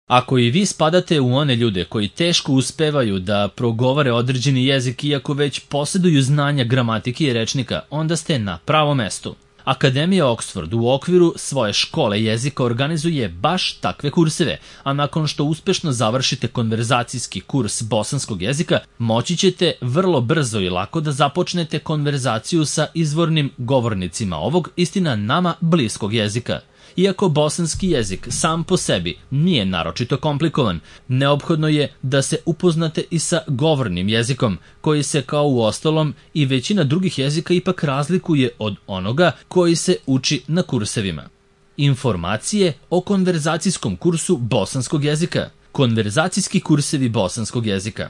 Ako i vi spadate u one ljude koji teško uspevaju da progovore određeni jezik iako već posjeduju znanja gramatike i rečnika, onda ste na pravom mestu. Akademija Oxford u okviru svoje škole jezika organizuje baš takve kurseve, a nakon što uspešno završite konverzacijski kurs bosanskog jezika, moći ćete vrlo brzo i lako da započnete konverzaciju sa izvornim govornicima ovog, istina nama, bliskog jezika. Iako bosanski jezik sam po sebi nije naročito komplikovan, neophodno je da se upoznate i sa govornim jezikom, koji se kao u ostalom i većina drugih jezika ipak razlikuje od onoga koji se uči na kursevima. Informacije o konverzacijskom kursu bosanskog jezika. Konverzacijski kursevi bosanskog jezika.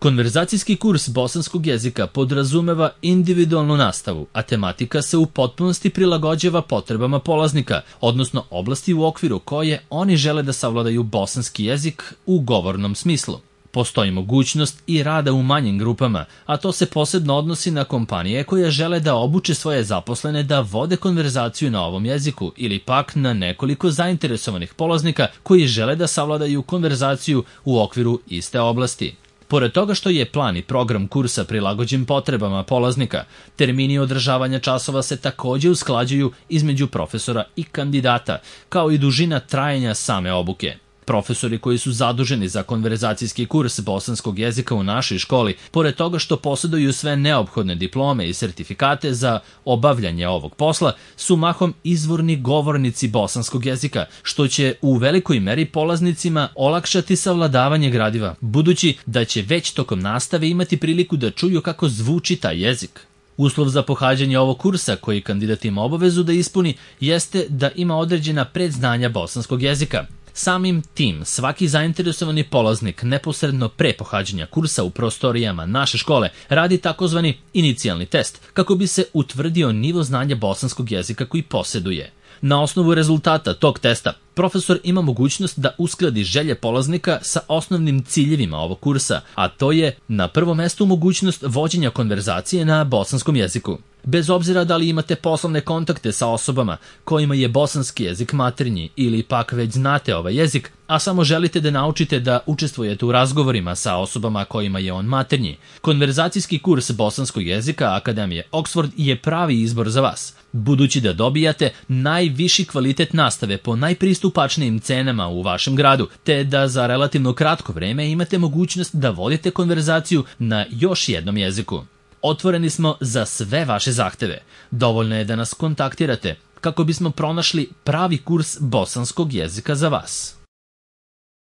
Konverzacijski kurs bosanskog jezika podrazumeva individualnu nastavu, a tematika se u potpunosti prilagođava potrebama polaznika, odnosno oblasti u okviru koje oni žele da savladaju bosanski jezik u govornom smislu. Postoji mogućnost i rada u manjim grupama, a to se posebno odnosi na kompanije koje žele da obuče svoje zaposlene da vode konverzaciju na ovom jeziku ili pak na nekoliko zainteresovanih polaznika koji žele da savladaju konverzaciju u okviru iste oblasti. Pored toga što je plan i program kursa prilagođen potrebama polaznika, termini održavanja časova se takođe usklađuju između profesora i kandidata, kao i dužina trajanja same obuke. Profesori koji su zaduženi za konverzacijski kurs bosanskog jezika u našoj školi, pored toga što posjeduju sve neophodne diplome i sertifikate za obavljanje ovog posla, su mahom izvorni govornici bosanskog jezika, što će u velikoj meri polaznicima olakšati savladavanje gradiva, budući da će već tokom nastave imati priliku da čuju kako zvuči taj jezik. Uslov za pohađanje ovog kursa koji kandidat ima obavezu da ispuni jeste da ima određena predznanja bosanskog jezika. Samim tim, svaki zainteresovani polaznik neposredno pre pohađanja kursa u prostorijama naše škole radi takozvani inicijalni test kako bi se utvrdio nivo znanja bosanskog jezika koji posjeduje. Na osnovu rezultata tog testa, profesor ima mogućnost da uskladi želje polaznika sa osnovnim ciljevima ovog kursa, a to je na prvom mestu mogućnost vođenja konverzacije na bosanskom jeziku. Bez obzira da li imate poslovne kontakte sa osobama kojima je bosanski jezik maternji ili pak već znate ovaj jezik, a samo želite da naučite da učestvujete u razgovorima sa osobama kojima je on maternji, konverzacijski kurs bosanskog jezika Akademije Oxford je pravi izbor za vas, budući da dobijate najviši kvalitet nastave po najpristupačnijim cenama u vašem gradu, te da za relativno kratko vreme imate mogućnost da vodite konverzaciju na još jednom jeziku. Otvoreni smo za sve vaše zahteve. Dovoljno je da nas kontaktirate kako bismo pronašli pravi kurs bosanskog jezika za vas.